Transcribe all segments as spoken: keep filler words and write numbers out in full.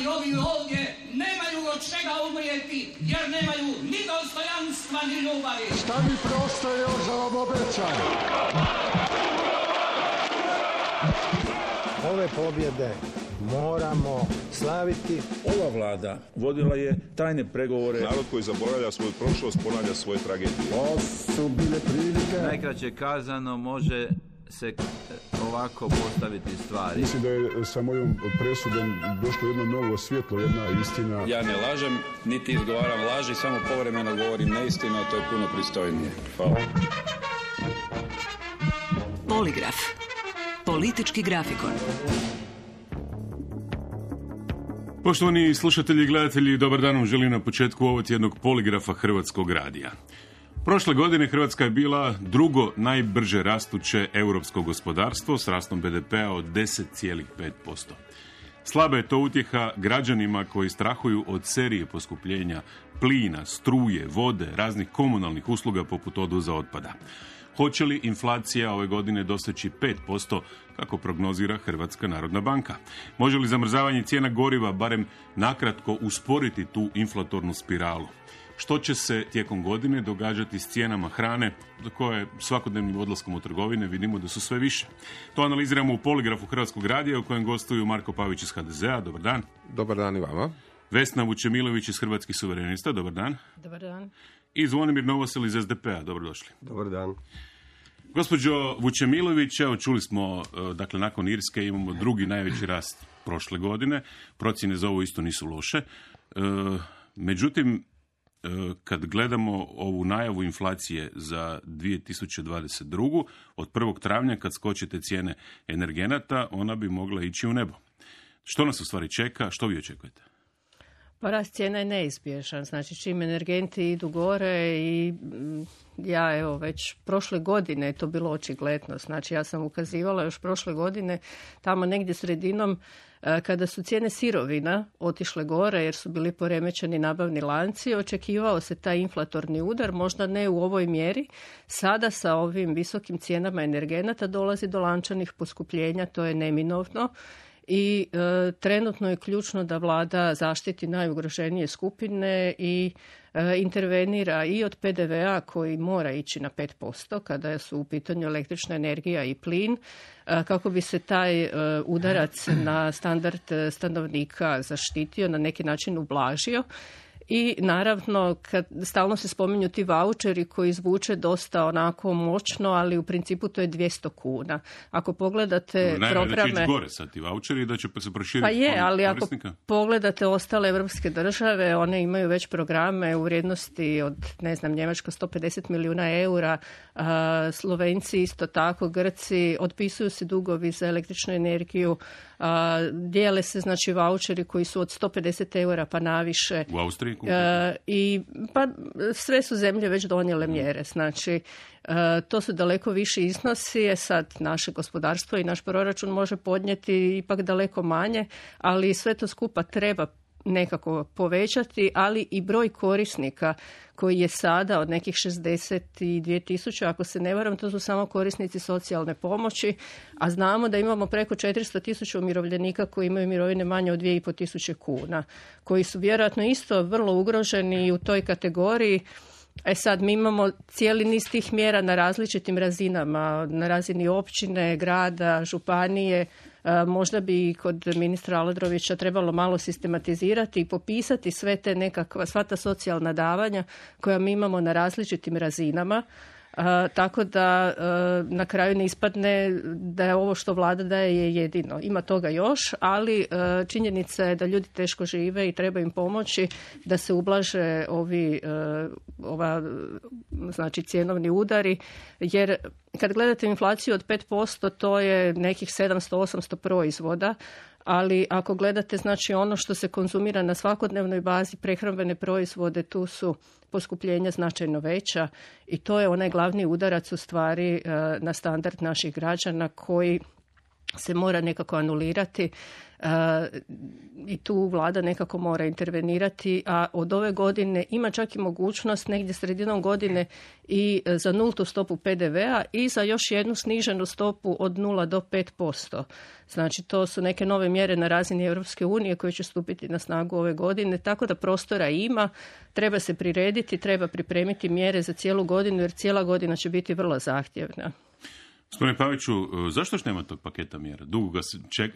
ali ovi ovdje nemaju od čega umrijeti, jer nemaju ni dostojanstva, ni ljubavi. Šta mi preostaje još za vam obećam? Ove pobjede moramo slaviti. Ova vlada vodila je tajne pregovore. Narod koji zaboravlja svoju prošlost ponavlja svoje tragedije. To su bile prilike. Najkraće kazano može se ovako postaviti stvari. Mislim da je sa mojom presudom došlo jedno novo svjetlo, jedna istina. Ja ne lažem, niti izgovaram laži, samo povremeno govorim neistinu, a to je puno pristojnije. Hvala. Poligraf. Politički grafikon. Poštovani slušatelji i gledatelji, dobar dan vam želim na početku ovog tjednog poligrafa Hrvatskog radija. Prošle godine Hrvatska je bila drugo najbrže rastuće europsko gospodarstvo s rastom be de pea od deset zarez pet posto. Slaba je to utjeha građanima koji strahuju od serije poskupljenja plina, struje, vode, raznih komunalnih usluga poput odvoza otpada. Hoće li inflacija ove godine doseći pet posto, kako prognozira Hrvatska narodna banka? Može li zamrzavanje cijena goriva barem nakratko usporiti tu inflatornu spiralu? Što će se tijekom godine događati s cijenama hrane, za koje svakodnevnim odlaskom u trgovine vidimo da su sve više? To analiziramo u poligrafu Hrvatskog radija u kojem gostuju Marko Pavić iz ha de zea. Dobar dan. Dobar dan i vama. Vesna Vučemilović iz Hrvatskih suverenista. Dobar dan. Dobar dan. I Zvonimir Novosel iz es de pea. Dobrodošli. Dobar dan. Gospođo Vučemilović, evo čuli smo, dakle nakon Irske imamo drugi najveći rast prošle godine. Procjene za ovo isto nisu loše. Međutim, kad gledamo ovu najavu inflacije za dvije tisuće dvadeset drugu. od prvog travnja kad skočite cijene energenata, ona bi mogla ići u nebo. Što nas u stvari čeka? Što vi očekujete? Pa rast cijena je neizbježan. Znači čim energenti idu gore i ja evo već prošle godine je to bilo očigledno. Znači ja sam ukazivala još prošle godine tamo negdje sredinom kada su cijene sirovina otišle gore jer su bili poremećeni nabavni lanci, očekivao se taj inflatorni udar, možda ne u ovoj mjeri. Sada sa ovim visokim cijenama energenata dolazi do lančanih poskupljenja, to je neminovno. I e, trenutno je ključno da vlada zaštiti najugroženije skupine i e, intervenira i od pe de vea koji mora ići na pet posto kada su u pitanju električna energija i plin, e, kako bi se taj e, udarac na standard stanovnika zaštitio, na neki način ublažio. I naravno, kad stalno se spominju ti vaučeri koji zvuče dosta onako moćno, ali u principu to je dvjesto kuna. Ako pogledate no, programe... Da će ići gore sad ti vaučeri da će se proširiti. Pa je, ali ako korisnika. Pogledate ostale evropske države, one imaju već programe u vrijednosti od, ne znam, Njemačka sto pedeset milijuna eura, a, Slovenci isto tako, Grci, otpisuju se dugovi za električnu energiju, a, dijele se znači vaučeri koji su od sto pedeset eura pa naviše. U Austriji? E, i pa sve su zemlje već donijele mjere, znači e, to su daleko viši iznosi, je sad naše gospodarstvo i naš proračun može podnijeti ipak daleko manje, ali sve to skupa treba nekako povećati, ali i broj korisnika koji je sada od nekih šezdeset dvije tisuće, ako se ne varam, to su samo korisnici socijalne pomoći, a znamo da imamo preko četiristo tisuća umirovljenika koji imaju mirovine manje od dvije i pol tisuće kuna, koji su vjerojatno isto vrlo ugroženi u toj kategoriji. E sad, mi imamo cijeli niz tih mjera na različitim razinama, na razini općine, grada, županije. E, možda bi kod ministra Aladrovića trebalo malo sistematizirati i popisati sve te nekakva, sva ta socijalna davanja koja mi imamo na različitim razinama. Uh, tako da uh, na kraju ne ispadne da je ovo što vlada daje je jedino. Ima toga još, ali uh, činjenica je da ljudi teško žive i treba im pomoći da se ublaže ovi uh, ova, znači cjenovni udari, jer kad gledate inflaciju od pet posto to je nekih sedamsto osamsto proizvoda, ali ako gledate znači ono što se konzumira na svakodnevnoj bazi, prehrambene proizvode, tu su poskupljenja značajno veća i to je onaj glavni udarac u stvari na standard naših građana koji se mora nekako anulirati uh, i tu vlada nekako mora intervenirati, a od ove godine ima čak i mogućnost negdje sredinom godine i za nultu stopu P D V-a i za još jednu sniženu stopu od nula do pet posto. Znači to su neke nove mjere na razini Europske unije koje će stupiti na snagu ove godine, tako da prostora ima, treba se prirediti, treba pripremiti mjere za cijelu godinu jer cijela godina će biti vrlo zahtjevna. Gospodine Paviću, zašto još nema tog paketa mjera? Dugo ga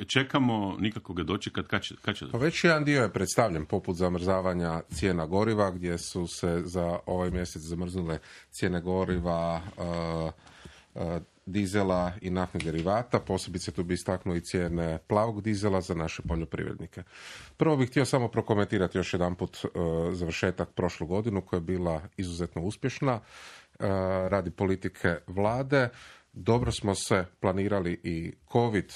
čekamo, nikako ga dočekat, kad će, kad će Pa već jedan dio je predstavljen, poput zamrzavanja cijena goriva, gdje su se za ovaj mjesec zamrznule cijene goriva, uh, uh, dizela i naftnih derivata, posebice tu bi istaknuo i cijene plavog dizela za naše poljoprivrednike. Prvo bih htio samo prokomentirati još jedanput uh, završetak prošlu godinu koja je bila izuzetno uspješna uh, radi politike vlade. Dobro smo se planirali i COVID,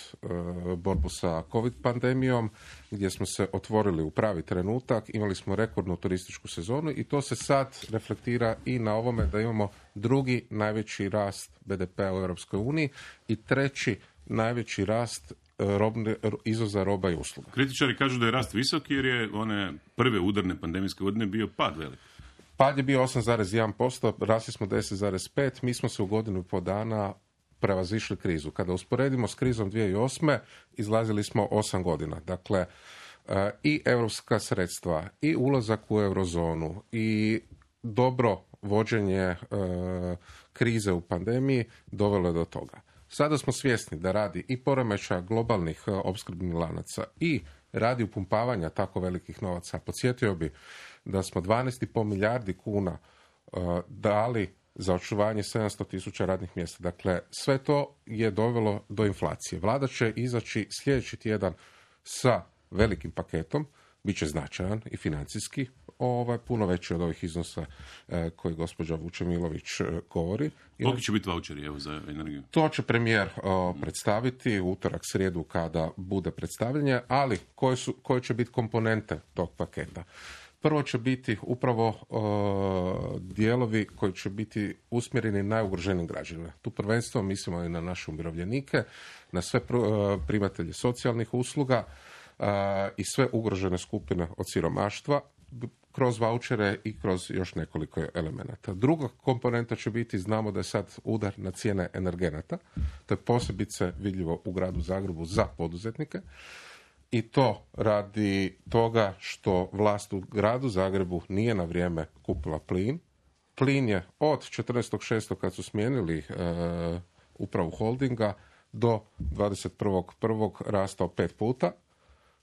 borbu sa COVID pandemijom, gdje smo se otvorili u pravi trenutak, imali smo rekordnu turističku sezonu i to se sad reflektira i na ovome da imamo drugi najveći rast B D P-a u Europskoj uniji i treći najveći rast robne, izvoza roba i usluga. Kritičari kažu da je rast visok jer je one prve udarne pandemijske godine bio pad velik. Pad je bio osam zarez jedan posto, rasli smo deset zarez pet, mi smo se u godinu i po dana prevazišli krizu. Kada usporedimo s krizom dvije tisuće osme, izlazili smo osam godina. Dakle, i europska sredstva, i ulazak u eurozonu, i dobro vođenje krize u pandemiji dovelo je do toga. Sada smo svjesni da radi i poremećaja globalnih opskrbnih lanaca i radi upumpavanja tako velikih novaca. Podsjetio bi da smo dvanaest zarez pet milijardi kuna uh, dali za očuvanje sedamsto tisuća radnih mjesta. Dakle, sve to je dovelo do inflacije. Vlada će izaći sljedeći tjedan sa velikim paketom, bit će značajan i financijski, ovaj, puno veći od ovih iznosa eh, koji gospođa Vučemilović eh, govori. Koliki će biti vaučeri evo, za energiju? To će premijer o, predstaviti u utorak, srijedu kada bude predstavljanje, ali koje, su, koje će biti komponente tog paketa? Prvo će biti upravo o, dijelovi koji će biti usmjereni najugroženijim građanima. Tu prvenstveno mislimo i na naše umirovljenike, na sve pr, o, primatelje socijalnih usluga o, i sve ugrožene skupine od siromaštva, kroz vaučere i kroz još nekoliko elemenata. Druga komponenta će biti, znamo da je sad udar na cijene energenata, to je posebice vidljivo u gradu Zagrebu za poduzetnike i to radi toga što vlast u gradu Zagrebu nije na vrijeme kupila plin. Plin je od četrnaestog šestog kad su smijenili e, upravu holdinga do dvadeset prvog prvog rastao pet puta.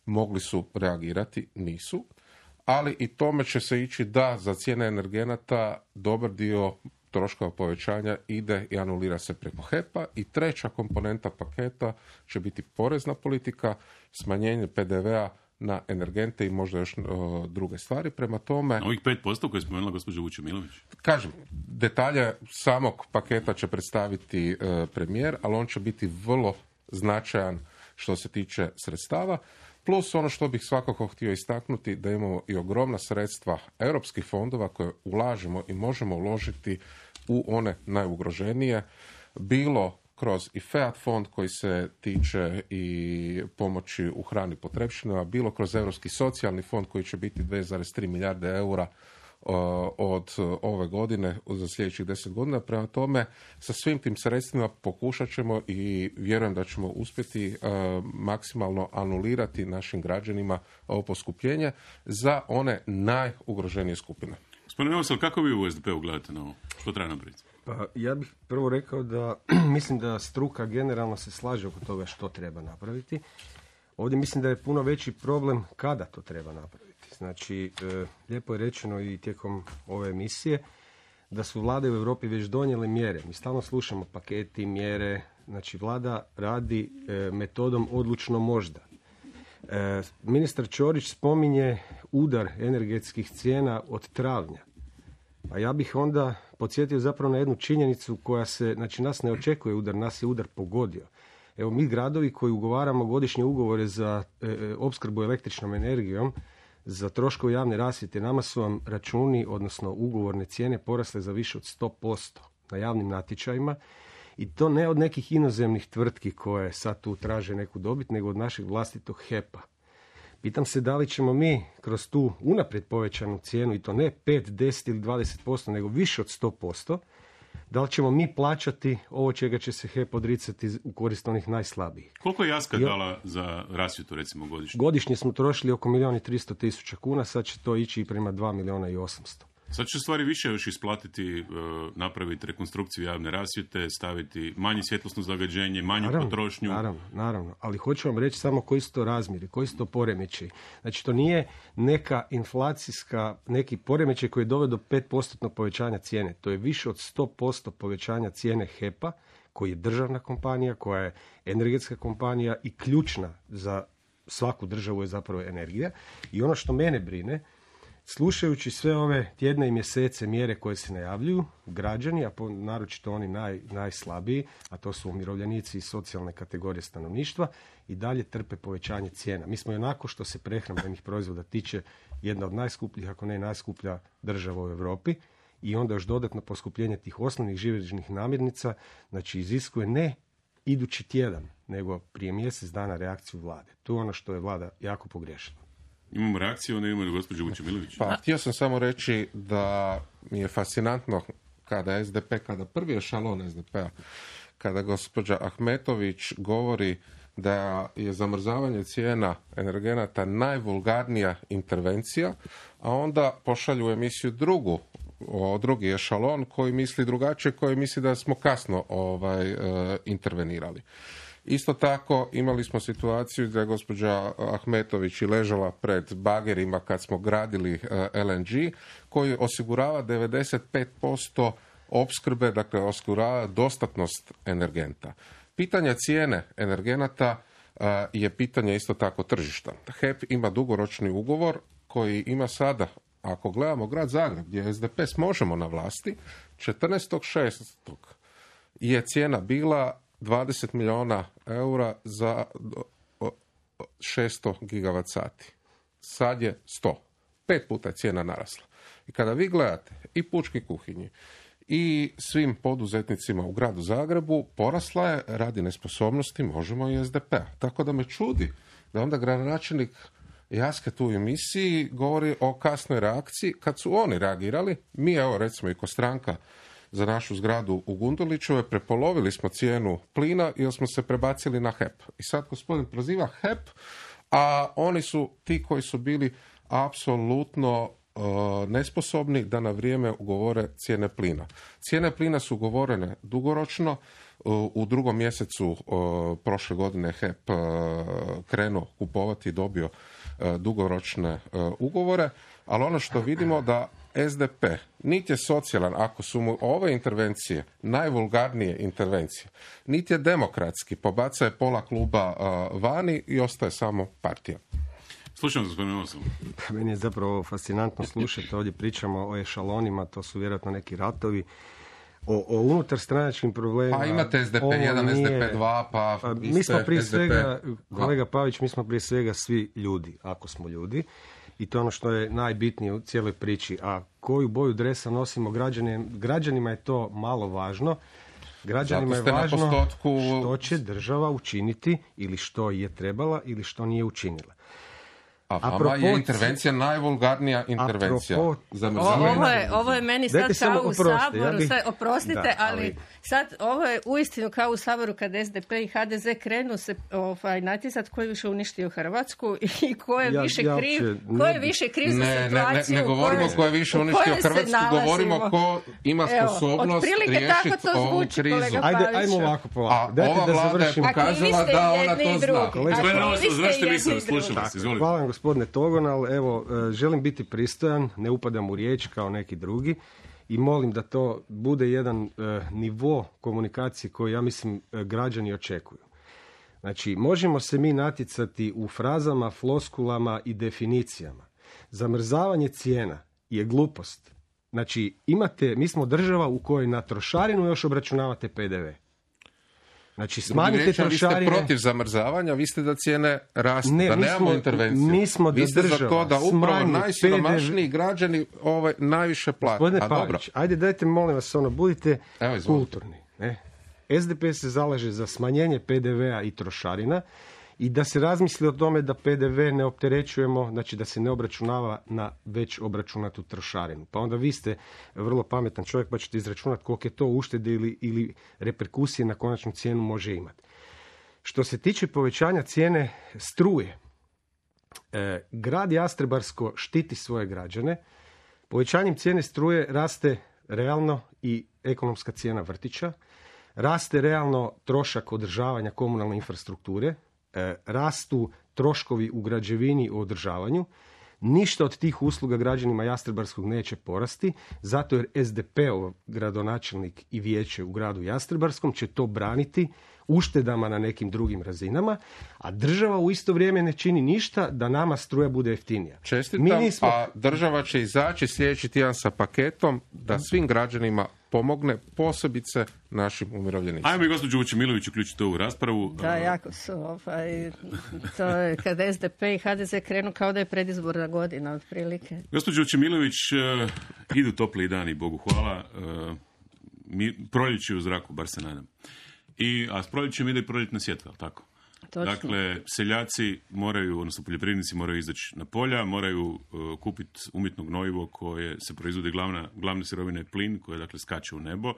Mogli su reagirati, nisu. Ali i tome će se ići da za cijene energenata dobar dio troškova povećanja ide i anulira se preko H E P-a. I treća komponenta paketa će biti porezna politika, smanjenje P D V-a na energente i možda još o, druge stvari. Prema tome... Ovih pet posto koje je spomenula gospođa Vučemilović? Kažem, detalje samog paketa će predstaviti e, premijer, ali on će biti vrlo značajan što se tiče sredstava. Plus ono što bih svakako htio istaknuti, da imamo i ogromna sredstva europskih fondova koje ulažemo i možemo uložiti u one najugroženije, bilo kroz i FEAD fond koji se tiče i pomoći u hrani potrepštinama, bilo kroz Europski socijalni fond koji će biti dvije zarez tri milijarde eura od ove godine za sljedećih deset godina. Prema tome, sa svim tim sredstvima pokušat ćemo i vjerujem da ćemo uspjeti uh, maksimalno anulirati našim građanima ovo poskupljenje za one najugroženije skupine. Gospodine Novosel, kako vi u S D P-u gledate na ovo? Što treba napraviti? Pa, ja bih prvo rekao da mislim da struka generalno se slaže oko toga što treba napraviti. Ovdje mislim da je puno veći problem kada to treba napraviti. Znači, e, lijepo je rečeno i tijekom ove emisije da su vlade u Europi već donijele mjere. Mi stalno slušamo paketi, mjere. Znači, vlada radi e, metodom odlučno možda. E, ministar Ćorić spominje udar energetskih cijena od travnja. A ja bih onda podsjetio zapravo na jednu činjenicu koja se, znači nas ne očekuje udar, nas je udar pogodio. Evo mi gradovi koji ugovaramo godišnje ugovore za e, opskrbu električnom energijom, za troškove javne rasvjete, nama su vam računi, odnosno ugovorne cijene porasle za više od sto posto na javnim natječajima I to ne od nekih inozemnih tvrtki koje sad tu traže neku dobit, nego od našeg vlastitog H E P-a. Pitam se da li ćemo mi kroz tu unaprijed povećanu cijenu, i to ne pet, deset ili dvadeset posto, nego više od sto posto, da li ćemo mi plaćati ovo čega će se H E P odricati u korist onih najslabijih. Koliko je Jaska I... dala za rasvjetu, recimo, godišnje? Godišnje smo trošili oko milijun i tristo tisuća kuna, sad će to ići i prema dva milijuna i osamsto. Sad će stvari više još isplatiti, napraviti rekonstrukciju javne rasvjete, staviti manje svjetlosno zagađenje, manju naravno, potrošnju. Naravno, naravno, ali hoću vam reći samo koji su to razmjeri, koji su to poremećaji. Znači, to nije neka inflacijska, neki poremećaj koji je doveo do pet posto povećanja cijene. To je više od sto posto povećanja cijene H E P-a, koji je državna kompanija, koja je energetska kompanija i ključna za svaku državu je zapravo energija. I ono što mene brine, slušajući sve ove tjedne i mjesece mjere koje se najavljuju, građani, a po, naročito oni naj, najslabiji, a to su umirovljenici i socijalne kategorije stanovništva, i dalje trpe povećanje cijena. Mi smo onako što se prehrambenih proizvoda tiče jedna od najskupljih, ako ne najskuplja država u Europi, i onda još dodatno poskupljenje tih osnovnih živežnih namirnica, znači iziskuje ne idući tjedan, nego prije mjesec dana reakciju vlade. To je ono što je vlada jako pogriješila. Imamo reakciju, onda imamo gospođu Vučemilović. Pa, htio sam samo reći da mi je fascinantno kada es de pe, kada prvi ešalon es de pe-a, kada gospođa Ahmetović govori da je zamrzavanje cijena energenata najvulgarnija intervencija, a onda pošalju u emisiju drugu, o drugi ešalon koji misli drugačije, koji misli da smo kasno ovaj, e, intervenirali. Isto tako imali smo situaciju da je gospođa Ahmetović i ležala pred bagerima kad smo gradili el en ge koji osigurava devedeset pet posto opskrbe, dakle osigurava dostatnost energenta. Pitanje cijene energenata je pitanje isto tako tržišta. H E P ima dugoročni ugovor koji ima sada, ako gledamo grad Zagreb gdje es de pe s Možemo na vlasti, četrnaestog šestog je cijena bila dvadeset milijuna eura za šesto gigavat sati. Sad je sto. Pet puta je cijena narasla. I kada vi gledate i pučki kuhinji i svim poduzetnicima u gradu Zagrebu, porasla je radi nesposobnosti Možemo i es de pe-a. Tako da me čudi da onda gradonačelnik Jaske tu u emisiji govori o kasnoj reakciji. Kad su oni reagirali, mi evo recimo i ko stranka za našu zgradu u Gundulićeve, prepolovili smo cijenu plina jer smo se prebacili na H E P. I sad gospodin proziva H E P, a oni su ti koji su bili apsolutno uh, nesposobni da na vrijeme ugovore cijene plina. Cijene plina su ugovorene dugoročno. Uh, u drugom mjesecu uh, prošle godine H E P uh, krenuo kupovati i dobio uh, dugoročne uh, ugovore, ali ono što vidimo da es de pe niti je socijalan ako su mu ove intervencije najvulgarnije intervencije, niti je demokratski, pobaca je pola kluba uh, vani i ostaje samo partija. Slušam, gospodine Osom. Meni je zapravo fascinantno slušati, ovdje pričamo o ešalonima, to su vjerojatno neki ratovi, o, o unutar stranačkim problemima. Pa imate es de pe jedan, nije... es de pe dva, pa... pa mi smo prije es de pe svega, kolega Pavić, mi smo prije svega svi ljudi, ako smo ljudi. I to je ono što je najbitnije u cijeloj priči. A koju boju dresa nosimo građanima, građanima je to malo važno. Građanima je važno postotku... što će država učiniti ili što je trebala ili što nije učinila. A vama je intervencija najvulgarnija intervencija. Ovo je, ovo je meni sad kao u Saboru, ja bih... sad, oprostite, da, ali... ali sad ovo je uistinu kao u Saboru kad es de pe i ha de ze krenu se ovaj, natjecat ko je više uništio Hrvatsku i ko je ja, više ja, kriv, ja, ko je više kriv za ne, situaciju. Ne, ne, ne govorimo ko je više uništio Hrvatsku, govorimo ko ima sposobnost riješiti ovu krizu. Ajde, ajmo ovako polako. A ova vlada je pokazala da ona to zna. Hvala gospodine Togonal, evo, želim biti pristojan, ne upadam u riječ kao neki drugi i molim da to bude jedan uh, nivo komunikacije koji, ja mislim, građani očekuju. Znači, možemo se mi natjecati u frazama, floskulama i definicijama. Zamrzavanje cijena je glupost. Znači, imate, mi smo država u kojoj na trošarinu još obračunavate pe de ve. Znači, smanjite trošarine. Vi ste protiv zamrzavanja, vi ste da cijene rastu, ne, da nemamo intervenciju. Nismo vi ste da za to da upravo najsiromašniji građani ovaj, najviše plate. Gospodine Pavić, ajde dajte, molim vas, ono, budite kulturni. Ne? S D P se zalaže za smanjenje P D V-a i trošarina i da se razmisli o tome da P D V ne opterećujemo, znači da se ne obračunava na već obračunatu trošarinu. Pa onda vi ste vrlo pametan čovjek pa ćete izračunati koliko je to uštede ili, ili reperkusije na konačnu cijenu može imati. Što se tiče povećanja cijene struje, e, grad Jastrebarsko štiti svoje građane. Povećanjem cijene struje raste realno i ekonomska cijena vrtića, raste realno trošak održavanja komunalne infrastrukture, e, rastu troškovi u građevini u održavanju. Ništa od tih usluga građanima Jastrebarskog neće porasti, zato jer S D P-ov gradonačelnik i vijeće u gradu Jastrebarskom će to braniti uštedama na nekim drugim razinama, a država u isto vrijeme ne čini ništa da nama struja bude jeftinija. Čestitam, Mi nismo... a država će izaći sljedeći tjedan sa paketom da svim građanima pomogne, posebice našim umirovljenicima. Ajmo i gospođu Vučemilović uključiti ovu raspravu. Da, jako su. Ovaj, to je kad S D P i H D Z krenu kao da je predizborna godina, otprilike. Gospođo Vučemilović, uh, idu topli dani, Bogu hvala. Uh, mi, proljeće u zraku, bar se nadam. I, a s proljećem ide i proljetna sjetva, tako? Točno. Dakle, seljaci moraju, odnosno poljoprivrednici moraju izaći na polja, moraju uh, kupiti umjetno gnojivo koje se proizvodi, glavna, glavna sirovina je plin, koje dakle skače u nebo.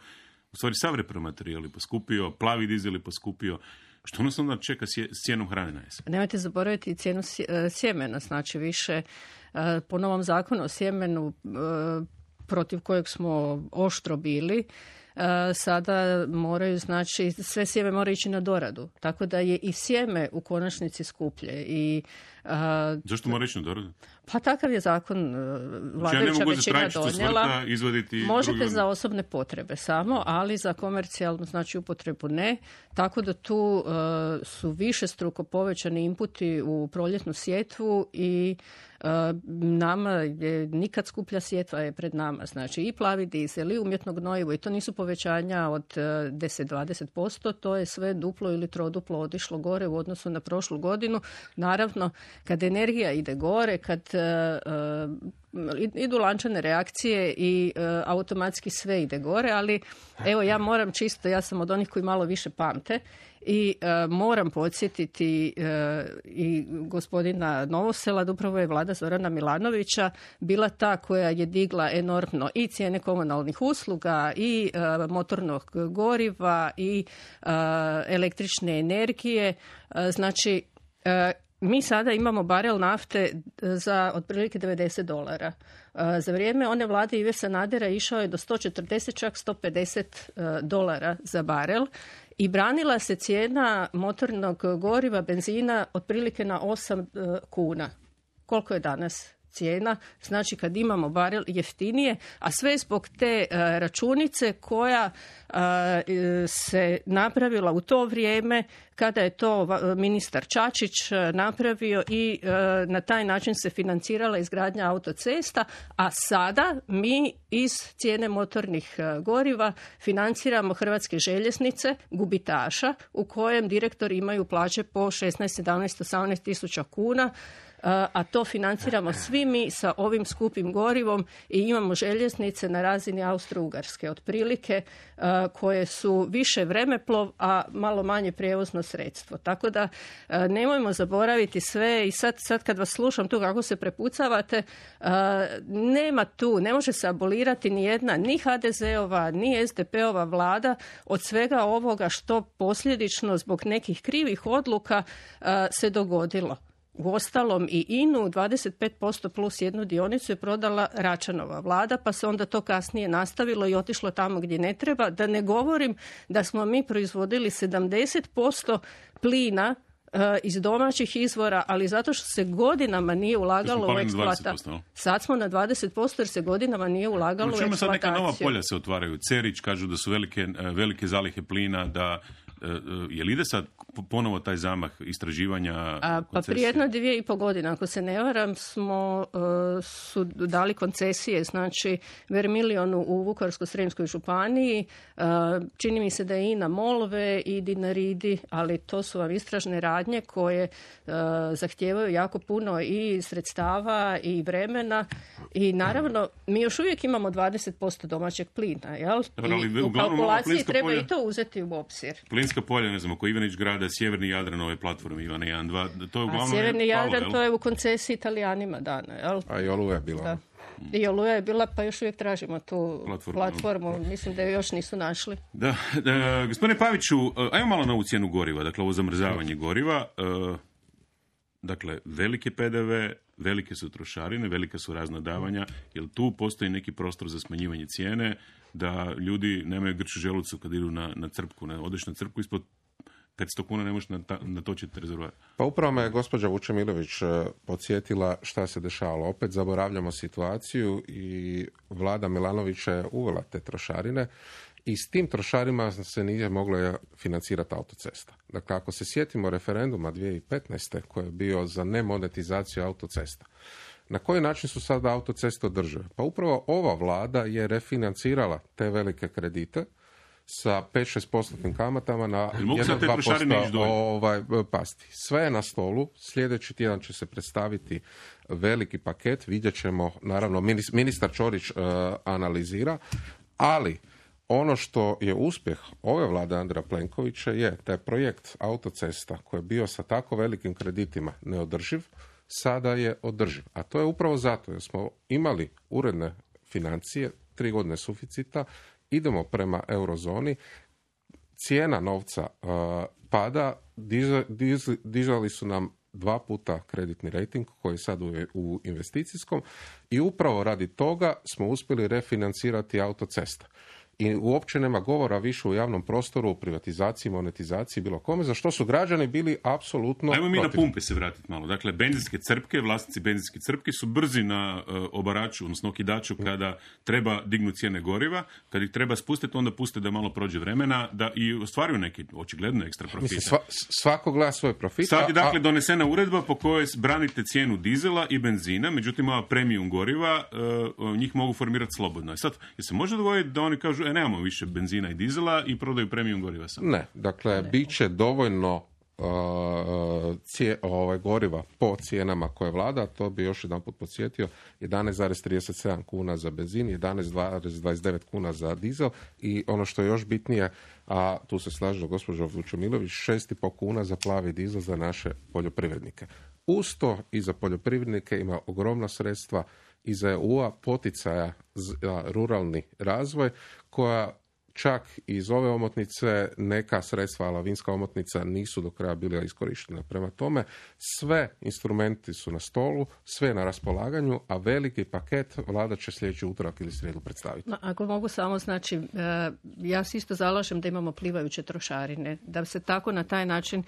U stvari, sav repromaterijal je poskupio, plavi dizel je poskupio. Što nas onda čeka s cijenom hrane na jesen? Nemojte zaboraviti cijenu sjemena, znači više po novom zakonu o sjemenu protiv kojeg smo oštro bili, sada moraju, znači sve sjeme mora ići na doradu, tako da je i sjeme u konačnici skuplje. I, a, zašto mora ići na doradu? Pa takav je zakon vladajuća većina donijela. Možete za osobne potrebe samo, ali za komercijalnu, znači upotrebu ne, tako da tu uh, su više struko povećani inputi u proljetnu sjetvu i Uh, nama je nikad skuplja sjetva je pred nama, znači i plavi dizel i umjetno gnojivo i to nisu povećanja od uh, deset do dvadeset posto, to je sve duplo ili troduplo otišlo gore u odnosu na prošlu godinu. Naravno, kad energija ide gore, kad uh, uh, idu lančane reakcije i uh, automatski sve ide gore, ali evo ja moram čisto, ja sam od onih koji malo više pamte i uh, moram podsjetiti uh, i gospodina Novosela da upravo je vlada Zorana Milanovića bila ta koja je digla enormno i cijene komunalnih usluga i uh, motornog goriva i uh, električne energije. Uh, znači uh, mi sada imamo barel nafte za otprilike devedeset dolara. Za vrijeme one vlade Ive Sanadera išao je do sto četrdeset, čak sto pedeset dolara za barel i branila se cijena motornog goriva, benzina otprilike na osam kuna. Koliko je danas cijena? Znači kad imamo barel jeftinije, a sve zbog te uh, računice koja uh, se napravila u to vrijeme kada je to ministar Čačić napravio i uh, na taj način se financirala izgradnja autocesta, a sada mi iz cijene motornih uh, goriva financiramo Hrvatske željeznice, gubitaša, u kojem direktori imaju plaće po šesnaest, sedamnaest, osamnaest tisuća kuna, a to financiramo svi mi sa ovim skupim gorivom i imamo željeznice na razini Austro-Ugarske otprilike koje su više vremeplov, a malo manje prijevozno sredstvo. Tako da nemojmo zaboraviti sve i sad, sad kad vas slušam tu kako se prepucavate, nema tu, ne može se abolirati ni jedna, ni ha de zeova, ni es de peova vlada od svega ovoga što posljedično zbog nekih krivih odluka se dogodilo. Uostalom i I N U dvadeset pet posto plus jednu dionicu je prodala Račanova vlada, pa se onda to kasnije nastavilo i otišlo tamo gdje ne treba. Da ne govorim da smo mi proizvodili sedamdeset posto plina uh, iz domaćih izvora, ali zato što se godinama nije ulagalo u eksploataciju. Sad smo na dvadeset posto jer se godinama nije ulagalo u eksploataciju. Sad neka nova polja se otvaraju. Cerić kažu da su velike, velike zalihe plina, da Je li ide sad ponovo taj zamah istraživanja? A, pa prije jedno dvije i po godine, ako se ne varam, smo uh, su dali koncesije, znači Vermilionu u Vukovarsko-srijemskoj županiji, uh, čini mi se da je i na Molve i Dinaridi, ali to su vam istražne radnje koje uh, zahtijevaju jako puno i sredstava i vremena i naravno mi još uvijek imamo dvadeset posto domaćeg plina, jel? I u kalkulaciji treba polja, i to uzeti u obzir. Plinska polja, ne znam, oko Ivanić grada, sjeverni Jadran, ove platforme Ivana jedan, dva, to je uglavnom... A sjeverni Jadran, jel? To je u koncesiji Italijanima dana, jel? A i Oluja je bila. Da. I Oluja je bila, pa još uvijek tražimo tu platformu. platformu. Mislim da ju još nisu našli. Da, da, gospodine Paviću, ajmo malo na ovu cijenu goriva, dakle ovo zamrzavanje goriva. Dakle, velike P D V, velike su trošarine, velika su razna davanja, jer tu postoji neki prostor za smanjivanje cijene, da ljudi nemaju grč u želucu kad idu na, na crpku, ne, odeš na crpku ispod petsto kuna ne možeš natočiti rezervoar. Pa upravo me gospođa Vučemilović podsjetila šta se dešavalo. Opet zaboravljamo situaciju i vlada Milanovića je uvela te trošarine i s tim trošarima se nije moglo financirati autocesta. Dakle, ako se sjetimo referenduma dvije tisuće petnaeste koji je bio za nemonetizaciju autocesta, na koji način su sada autoceste održive? Pa upravo ova vlada je refinancirala te velike kredite sa pet do šest posto kamatama na jedan do dva posto ovaj, pasti. Sve je na stolu. Sljedeći tjedan će se predstaviti veliki paket. Vidjet ćemo, naravno, ministar Ćorić uh, analizira, ali ono što je uspjeh ove vlade Andreja Plenkovića je taj projekt autocesta koji je bio sa tako velikim kreditima neodrživ, sada je održiv. A to je upravo zato jer smo imali uredne financije, tri godine suficita, idemo prema eurozoni, cijena novca uh, pada, diza, diz, dižali su nam dva puta kreditni rejting koji je sad u, u investicijskom i upravo radi toga smo uspjeli refinancirati autocesta. I uopće nema govora više u javnom prostoru o privatizaciji, monetizaciji, bilo kome, za što su građani bili apsolutno Ajmo mi protiv. Na pumpe se vratiti malo. Dakle, benzinske crpke, vlasnici benzinske crpke su brzi na uh, obaraču, odnosno okidaču kada treba dignuti cijene goriva. Kad ih treba spustiti, onda puste da malo prođe vremena, da i ostvaruju neki očigledno ekstra profita. Mislim, sva, svako gleda svoj profit. Sad je dakle a... donesena uredba po kojoj branite cijenu dizela i benzina, međutim ova premium goriva, uh, njih mogu formirati slobodno. I sad, je se može dogoditi da oni kažu, e, nemamo više benzina i dizela i prodaju premium goriva samo? Ne, dakle, ne. Bit će dovoljno uh, cije, ovaj, goriva po cijenama koje vlada, to bi još jedan put podsjetio, jedanaest zarez trideset sedam kuna za benzin, jedanaest zarez dvadeset devet kuna za dizel i ono što je još bitnije, a tu se slaže gospođa Vučemilović, šest i pol kuna za plavi dizel za naše poljoprivrednike. Uz to i za poljoprivrednike ima ogromna sredstva iz E U-a poticaja za ruralni razvoj, koja čak iz ove omotnice neka sredstva, lavinska omotnica, nisu do kraja bila iskorištena. Prema tome, sve instrumenti su na stolu, sve na raspolaganju, a veliki paket vlada će sljedeći utorak ili srijedu predstaviti. Ma, ako mogu samo, znači, ja se isto zalažem da imamo plivajuće trošarine, da se tako na taj način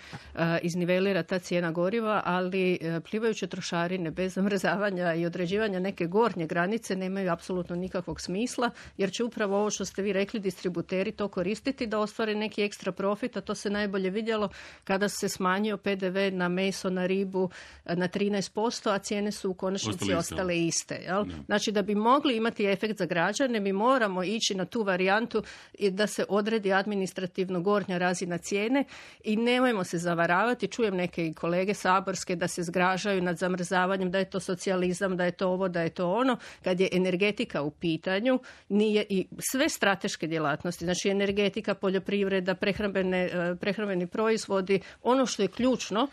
iznivelira ta cijena goriva, ali plivajuće trošarine bez zamrzavanja i određivanja neke gornje granice nemaju apsolutno nikakvog smisla, jer će upravo ovo što ste vi rekli, distribuirati to koristiti da ostvare neki ekstra profit, a to se najbolje vidjelo kada se smanjio P D V na meso, na ribu na trinaest posto, a cijene su u konačnici ostale, ostale iste. Jel? Znači da bi mogli imati efekt za građane, mi moramo ići na tu varijantu da se odredi administrativno gornja razina cijene i nemojmo se zavaravati. Čujem neke kolege saborske da se zgražaju nad zamrzavanjem, da je to socijalizam, da je to ovo, da je to ono. Kad je energetika u pitanju, nije i sve strateške djelatnosti, znači energetika, poljoprivreda, prehrambene, prehrambeni proizvodi, ono što je ključno,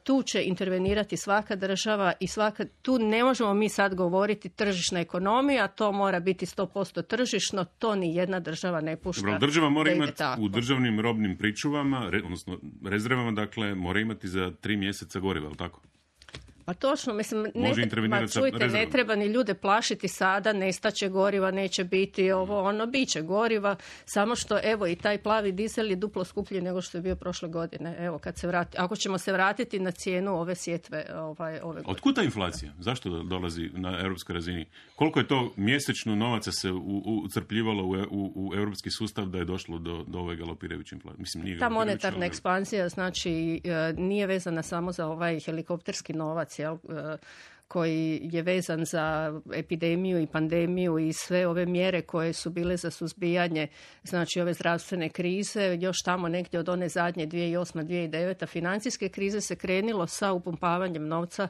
tu će intervenirati svaka država i svaka, tu ne možemo mi sad govoriti tržišna ekonomija, to mora biti sto posto tržišno, to ni jedna država ne pušta. Dobro, država mora imati tako. U državnim robnim pričuvama, re, odnosno rezervama, dakle, mora imati za tri mjeseca goriva, ali tako? Pa Pa točno, mislim, ne, Može intervenirati ma, sa čujte, ne rezervom. treba ni ljude plašiti sada, nestaće goriva, neće biti ovo, ono, bit će goriva, samo što, evo, i taj plavi dizel je duplo skuplji nego što je bio prošle godine. Evo, kad se vrati, ako ćemo se vratiti na cijenu ove sjetve ovaj, ove godine. Otkud ta inflacija? Zašto do- dolazi na europskoj razini? Koliko je to mjesečno novaca se u- ucrpljivalo u, u, u europski sustav da je došlo do, do ove galopirajuće inflacije? Mislim, nije Ta galopirajuća, monetarna ali- ekspanzija, znači, e, nije vezana samo za ovaj helikopterski novac, jel, e, koji je vezan za epidemiju i pandemiju i sve ove mjere koje su bile za suzbijanje, znači ove zdravstvene krize, još tamo negdje od one zadnje dvije tisuće osma dvije tisuće deveta financijske krize se krenilo sa upumpavanjem novca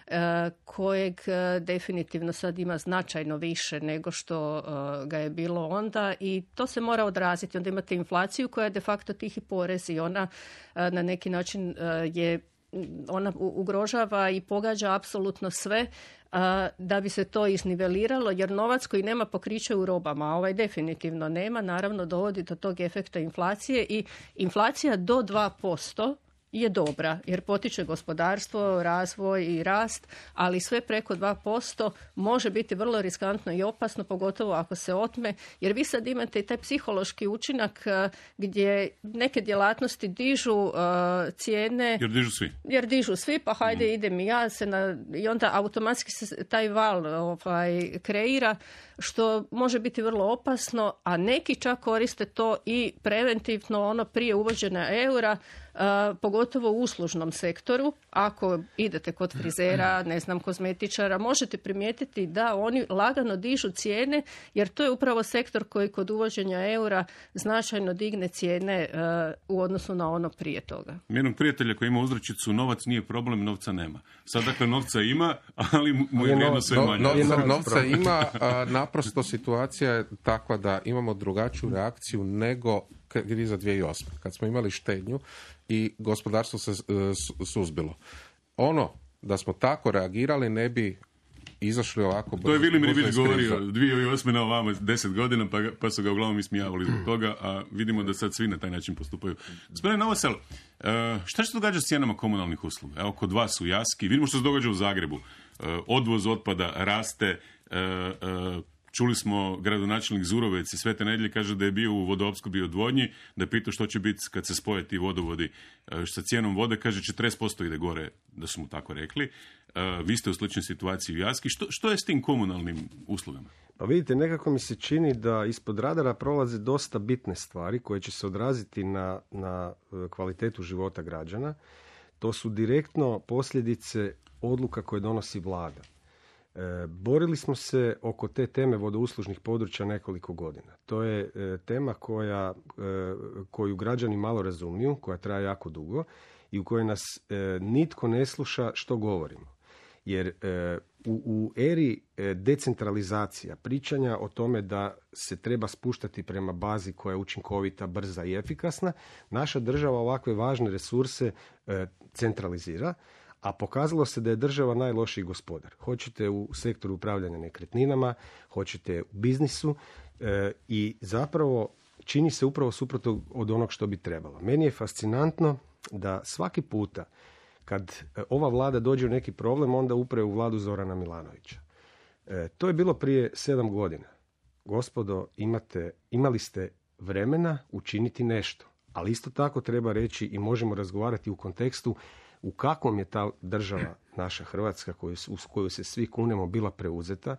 e, kojeg e, definitivno sad ima značajno više nego što e, ga je bilo onda i to se mora odraziti. Onda imate inflaciju koja je de facto tihi porez i ona e, na neki način e, je ona u- ugrožava i pogađa apsolutno sve a, da bi se to izniveliralo, jer novac koji nema pokriće u robama, a ovaj definitivno nema, naravno dovodi do tog efekta inflacije i inflacija do dva posto je dobra, jer potiče gospodarstvo, razvoj i rast, ali sve preko dva posto može biti vrlo riskantno i opasno, pogotovo ako se otme, jer vi sad imate i taj psihološki učinak eh, gdje neke djelatnosti dižu eh, cijene Jer dižu svi. jer dižu svi, pa hajde idem i ja se na, i onda automatski se taj val ovaj, kreira, što može biti vrlo opasno, a neki čak koriste to i preventivno ono prije uvođenja eura, a, pogotovo u uslužnom sektoru. Ako idete kod frizera, ne znam, kozmetičara, možete primijetiti da oni lagano dižu cijene, jer to je upravo sektor koji kod uvođenja eura značajno digne cijene a, u odnosu na ono prije toga. Jednog prijatelja koji ima uzrečicu novac nije problem, novca nema. Sad dakle novca ima, ali mu je vrijednost sve No- manje. novca, novca ima, a, naprosto situacija je takva da imamo drugačiju reakciju nego kriza dvije tisuće osme. Kad smo imali štednju i gospodarstvo se e, su- suzbilo. Ono da smo tako reagirali ne bi izašli ovako brzo. To je Vilim brzo Ribić iz krize. govorio dvije tisuće osme na ovamo deset godina, pa, ga- pa su ga uglavnom ismijavali zbog toga, a vidimo da sad svi na taj način postupaju. Gospodine Novosel, uh, šta će se događa s cijenama komunalnih usluga? Evo, kod vas u Jaski, vidimo što se događa u Zagrebu. Uh, odvoz otpada raste, uh, uh, čuli smo gradonačelnik Zurovec i Svete Nedjelje kaže da je bio u vodoopskrbi i odvodnji, da je pitao što će biti kad se spoje ti vodovodi uh, sa cijenom vode, kaže četrdeset posto ide gore, da su mu tako rekli. Uh, vi ste u sličnoj situaciji u Jaski. Što, što je s tim komunalnim uslugama? Pa vidite, nekako mi se čini da ispod radara prolaze dosta bitne stvari koje će se odraziti na, na e, kvalitetu života građana. To su direktno posljedice odluka koje donosi vlada. E, borili smo se oko te teme vodouslužnih područja nekoliko godina. To je e, tema koja, e, koju građani malo razumiju, koja traje jako dugo i u kojoj nas e, nitko ne sluša što govorimo. Jer e, u, u eri e, decentralizacija, pričanja o tome da se treba spuštati prema bazi koja je učinkovita, brza i efikasna, naša država ovakve važne resurse e, centralizira, a pokazalo se da je država najlošiji gospodar. Hoćete u sektoru upravljanja nekretninama, hoćete u biznisu e, i zapravo čini se upravo suprotno od onog što bi trebalo. Meni je fascinantno da svaki puta kad ova vlada dođe u neki problem, onda upre u vladu Zorana Milanovića. E, to je bilo prije sedam godina. Gospodo, imate, imali ste vremena učiniti nešto. Ali isto tako treba reći i možemo razgovarati u kontekstu u kakvom je ta država, naša Hrvatska, koju, uz koju se svi kunemo, bila preuzeta,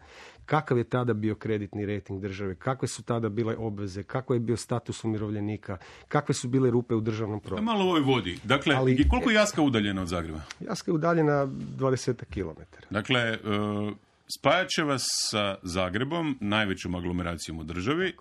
kakav je tada bio kreditni rejting države, kakve su tada bile obveze, kakav je bio status umirovljenika, kakve su bile rupe u državnom proračunu. Malo u ovoj vodi. Dakle, Ali- koliko je Jaska udaljena od Zagreba? Jaska je udaljena dvadeset kilometara. Dakle, uh, spajat će vas sa Zagrebom, najvećom aglomeracijom u državi,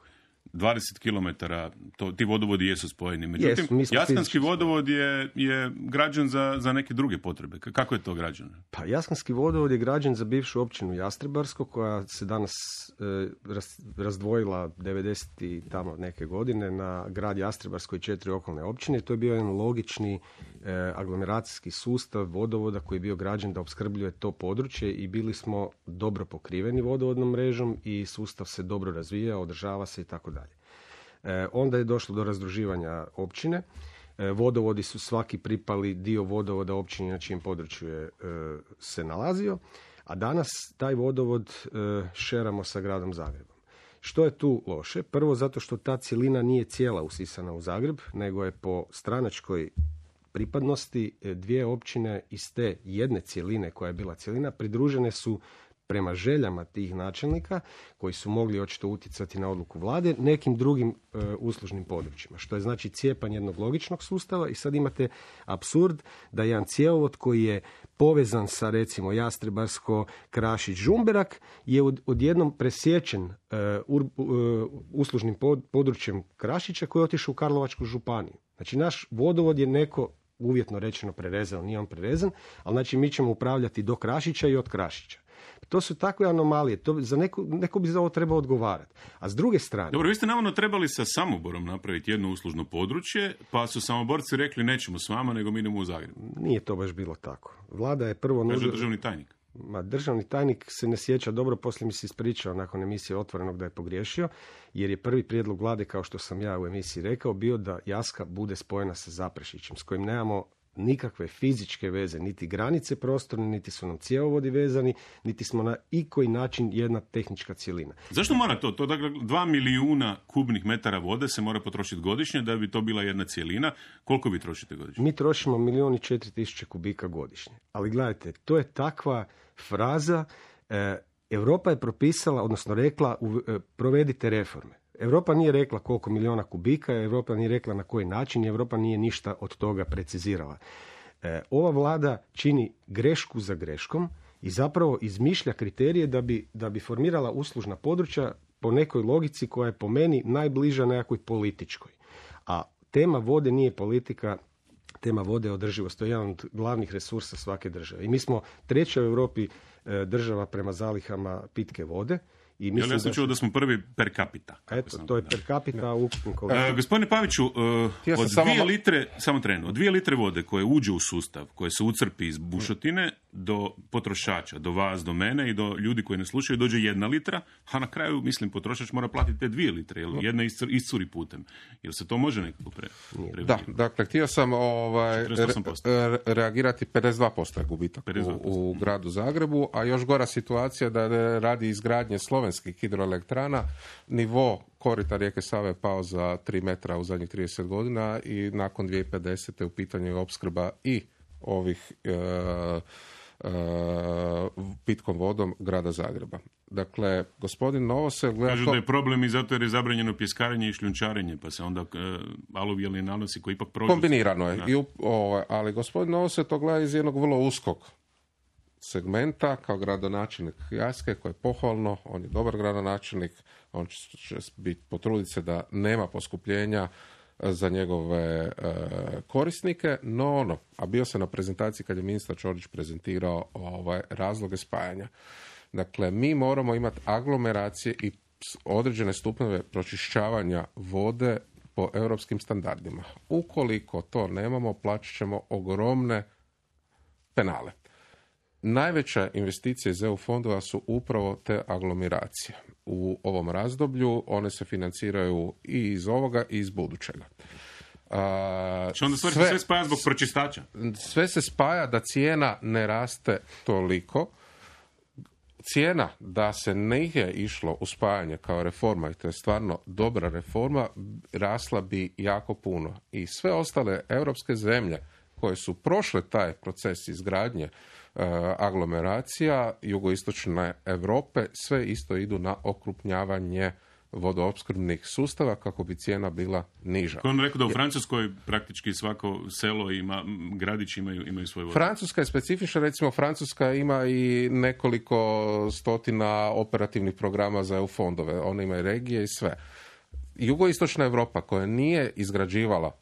dvadeset kilometara, to, ti vodovodi jesu spojeni. Međutim, Jesu, mi smo Jaskanski fizički vodovod je, je građen za, za neke druge potrebe. K- Kako je to građeno? Pa Jaskanski vodovod je građen za bivšu općinu Jastrebarsko, koja se danas e, raz- razdvojila devedeset i tamo neke godine na grad Jastrebarsko i četiri okolne općine. To je bio jedan logični e, aglomeracijski sustav vodovoda koji je bio građen da opskrbljuje to područje i bili smo dobro pokriveni vodovodnom mrežom i sustav se dobro razvija, održava se i tako dalje. E, onda je došlo do razdruživanja općine. vodovodi su svaki pripali dio vodovoda općini na čijem području je se nalazio, a danas taj vodovod šeramo sa gradom Zagrebom. Što je tu loše? Prvo zato što ta cjelina nije cijela usisana u Zagreb, nego je po stranačkoj pripadnosti dvije općine iz te jedne cjeline koja je bila cjelina pridružene su prema željama tih načelnika koji su mogli očito utjecati na odluku vlade nekim drugim e, uslužnim područjima, što je znači cijepanje jednog logičnog sustava i sad imate apsurd da jedan cjevovod koji je povezan sa recimo Jastrebarsko, Krašić, Žumberak je od, odjednom presječen e, ur, e, uslužnim pod, područjem Krašića koji je otišao u Karlovačku županiju. Znači naš vodovod je neko uvjetno rečeno prerezan, nije on prerezan, ali znači mi ćemo upravljati do Krašića i od Krašića. To su takve anomalije, to za neko, neko bi za ovo trebao odgovarati. A s druge strane... Dobro, vi ste navodno trebali sa Samoborom napraviti jedno uslužno područje, pa su Samoborci rekli nećemo s vama, nego mi idemo u Zagreb. Nije to baš bilo tako. Vlada je prvo... Kaže nužno... državni tajnik. Ma, državni tajnik se ne sjeća dobro, poslije mi se ispričao nakon emisije Otvorenog da je pogriješio, jer je prvi prijedlog vlade, kao što sam ja u emisiji rekao, bio da Jaska bude spojena sa Zaprešićem, s kojim nemamo nikakve fizičke veze, niti granice prostorne, niti su nam cjevovodi vezani, niti smo na ikoji način jedna tehnička cjelina. Zašto mora to? To dakle, dva milijuna kubnih metara vode se mora potrošiti godišnje da bi to bila jedna cjelina. Koliko vi trošite godišnje? Mi trošimo milijun i četiri tisuće kubika godišnje. Ali gledajte, to je takva fraza. E, Europa je propisala, odnosno rekla, u, e, provedite reforme. Europa nije rekla koliko milijuna kubika, Europa nije rekla na koji način, Europa nije ništa od toga precizirala. E, ova vlada čini grešku za greškom i zapravo izmišlja kriterije da bi, da bi formirala uslužna područja po nekoj logici koja je po meni najbliža nekakvoj političkoj. A tema vode nije politika, tema vode je održivost. To je jedan od glavnih resursa svake države. I mi smo treća u Europi e, država prema zalihama pitke vode. I mislim ja sam da čuo da smo prvi per capita. Eto, to je per capita u ukupnom uh, Gospodine Paviću, uh, od dvije litre, samo trenu, od dvije litre vode koje uđe u sustav, koje se ucrpi iz bušotine do potrošača, do vas, do mene i do ljudi koji ne slušaju, dođe jedna litra, a na kraju, mislim, potrošač mora platiti te dvije litre, jer jedna iscuri putem. Jel se to može nekako pre... pre da, dakle, htio sam ovaj, re, reagirati pedeset dva posto je gubitak u, u gradu Zagrebu, a još gora situacija da radi izgradnje slovenskih hidroelektrana, nivo korita rijeke Save je pao za tri metra u zadnjih trideset godina i nakon dvije tisuće pedesete u pitanju je opskrba i ovih e, e, pitkom vodom grada Zagreba. Dakle, gospodin Novosel gleda... Kažu da je problem i zato jer je zabranjeno pjeskarenje i šljunčarenje, pa se onda e, aluvijalni nanosi koji ipak prođu... Kombinirano je, i, o, ali gospodin Novosel to gleda iz jednog vrlo uskog segmenta kao gradonačelnik Jaske, koji je pohvalno, on je dobar gradonačelnik, on će biti potruditi se da nema poskupljenja za njegove e, korisnike, no ono, a bio sam na prezentaciji kad je ministar Ćorić prezentirao ovaj, razloge spajanja. Dakle, mi moramo imati aglomeracije i određene stupnjeve pročišćavanja vode po europskim standardima. Ukoliko to nemamo, plaćat ćemo ogromne penale. Najveća investicija iz E U fondova su upravo te aglomeracije. U ovom razdoblju one se financiraju i iz ovoga i iz budućega. A, Što onda stvari sve, sve spaja zbog pročistača? Sve se spaja da cijena ne raste toliko. Cijena da se nije išlo u spajanje kao reforma, i to je stvarno dobra reforma, rasla bi jako puno. I sve ostale europske zemlje koje su prošle taj proces izgradnje aglomeracija jugoistočne Europe, sve isto idu na okrupnjavanje vodoopskrbnih sustava kako bi cijena bila niža. On rekao da u Francuskoj praktički svako selo ima, gradić imaju, imaju svoj vodu. Francuska je specifična, recimo Francuska ima i nekoliko stotina operativnih programa za E U fondove, one imaju regije i sve. Jugoistočna Europa koja nije izgrađivala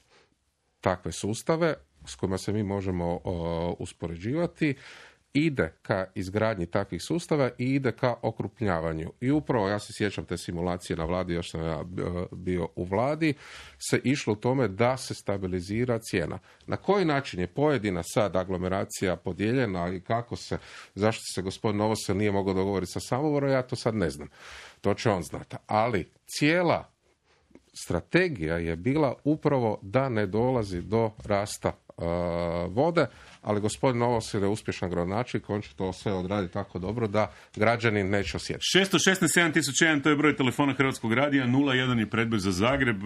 takve sustave s kojima se mi možemo o, uspoređivati, ide ka izgradnji takvih sustava i ide ka okrupnjavanju. I upravo, ja se sjećam te simulacije na vladi, još sam ja bio u vladi, se išlo u tome da se stabilizira cijena. Na koji način je pojedina sad aglomeracija podijeljena i kako se, zašto se gospodin Novosel nije mogao dogovoriti sa Samoborom, ja to sad ne znam. To će on znati. Ali cijela strategija je bila upravo da ne dolazi do rasta uh, vode, ali gospodin Novosel je uspješan gradonačelnik, on će to sve odraditi tako dobro da građani neće osjetiti. šesto šesnaest sedam tisuća jedan, to je broj telefona Hrvatskog radija, nula jedan je predbroj za Zagreb,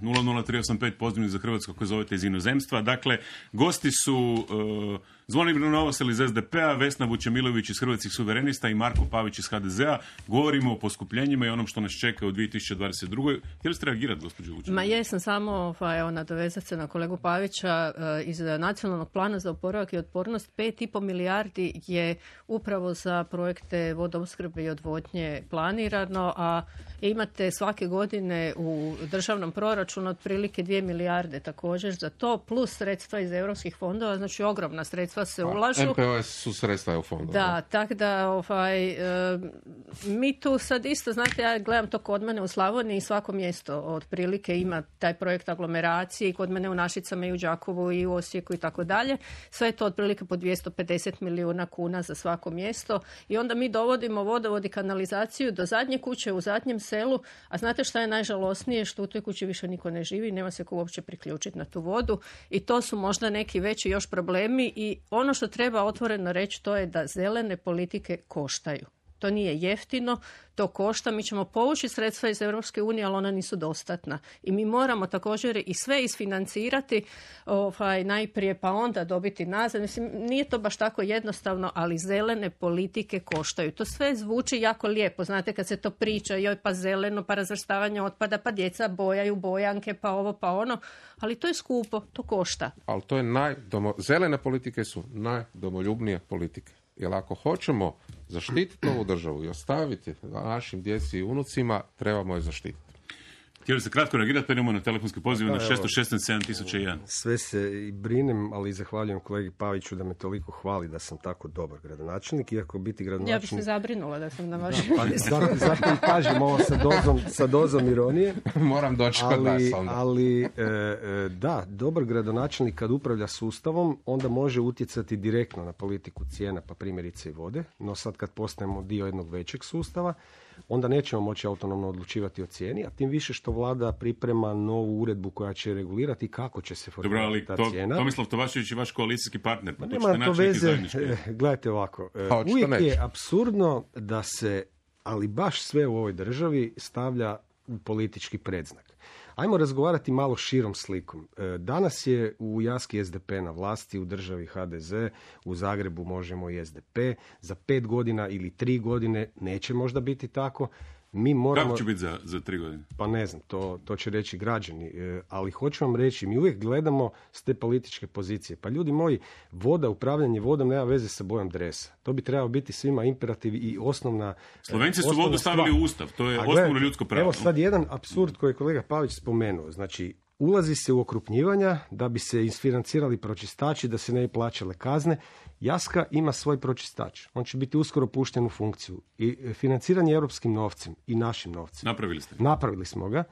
nula nula tri osam pet pozdravljeni za Hrvatsku koji zovete iz inozemstva. Dakle, gosti su uh, Zvonimir Novosel iz es de pe a, Vesna Vučemilović iz Hrvatskih suverenista i Marko Pavić iz ha de ze a. Govorimo o poskupljenjima i onom što nas čeka u dvije tisuće dvadeset drugoj. Htjeli ste reagirati, gospođo Vučemilović? Ma jesam, samo pa, evo, nadovezati se na kolegu Pavića. Iz Nacionalnog plana za oporavak i otpornost pet i pol milijardi je upravo za projekte vodoopskrbe i odvodnje planirano, a imate svake godine u državnom proračunu otprilike dvije milijarde također za to, plus sredstva iz europskih fondova, znači ogromna sredstva se ulažu. em pe o es su sredstva u fondu. Da, tako da ovaj, e, mi tu sad isto, znate, ja gledam to kod mene u Slavoniji i svako mjesto otprilike ima taj projekt aglomeracije i kod mene u Našicama i u Đakovu i u Osijeku i tako dalje. Sve je to otprilike po dvjesto pedeset milijuna kuna za svako mjesto i onda mi dovodimo vodovod i kanalizaciju do zadnje kuće u zadnjem selu, a znate šta je najžalosnije? Što u toj kući više niko ne živi, nema se ko uopće priključiti na tu vodu i to su možda neki veći još problemi i ono što treba otvoreno reći to je da zelene politike koštaju. To nije jeftino, to košta, mi ćemo povući sredstva iz Europske unije, ali ona nisu dostatna. I mi moramo također i sve isfinancirati ovaj, najprije, pa onda dobiti nazad. Mislim, nije to baš tako jednostavno, ali zelene politike koštaju. To sve zvuči jako lijepo, znate, kad se to priča, joj pa zeleno, pa razvrstavanje otpada, pa djeca bojaju bojanke, pa ovo, pa ono, ali to je skupo, to košta. Ali to je najdomo... zelene politike su najdomoljubnije politike. Jer ako hoćemo zaštititi ovu državu i ostaviti našim djeci i unucima, trebamo je zaštititi. Htjeli se kratko reagirati, pa idemo na telefonski poziv na šesto šesnaest sedam tisuća jedan. Sve se i brinem, ali zahvaljujem kolegi Paviću da me toliko hvali da sam tako dobar gradonačelnik, iako biti gradonačelnik... Ja bih se zabrinula da sam na vašem pa, zato, zato i kažem ovo sa dozom, sa dozom ironije. Moram doći kod nas onda. Ali e, e, da, dobar gradonačelnik kad upravlja sustavom, onda može utjecati direktno na politiku cijena, pa primjerice i vode, no sad kad postajemo dio jednog većeg sustava, onda nećemo moći autonomno odlučivati o cijeni, a tim više što vlada priprema novu uredbu koja će regulirati kako će se formirati ta to, cijena. Tomislav Tomašević je vaš koalicijski partner, pa nema to veze, gledajte ovako, pa, uvijek je apsurdno da se, ali baš sve u ovoj državi stavlja u politički predznak. Ajmo razgovarati malo širom slikom. Danas je u Jaski es de pe na vlasti, u državi ha de ze, u Zagrebu možemo i es de pe. Za pet godina ili tri godine neće možda biti tako. Mi moramo... Kako će biti za, za tri godine? Pa ne znam, to, to će reći građani. E, ali hoću vam reći, mi uvijek gledamo s te političke pozicije. Pa ljudi moji, voda, upravljanje vodom nema veze sa bojom dresa. To bi trebalo biti svima imperativ i osnovna... Slovenci su osnovna vodu stavili stvar. u ustav, to je A osnovno gledajte, ljudsko pravo. Evo sad jedan apsurd koji je kolega Pavić spomenuo. Znači, ulazi se u okrupnjivanja da bi se isfinancirali pročistači, da se ne bi plaćale kazne. Jaska ima svoj pročistač. On će biti uskoro pušten u funkciju. I financiranje europskim novcem i našim novcem. Napravili ste. Napravili smo ga.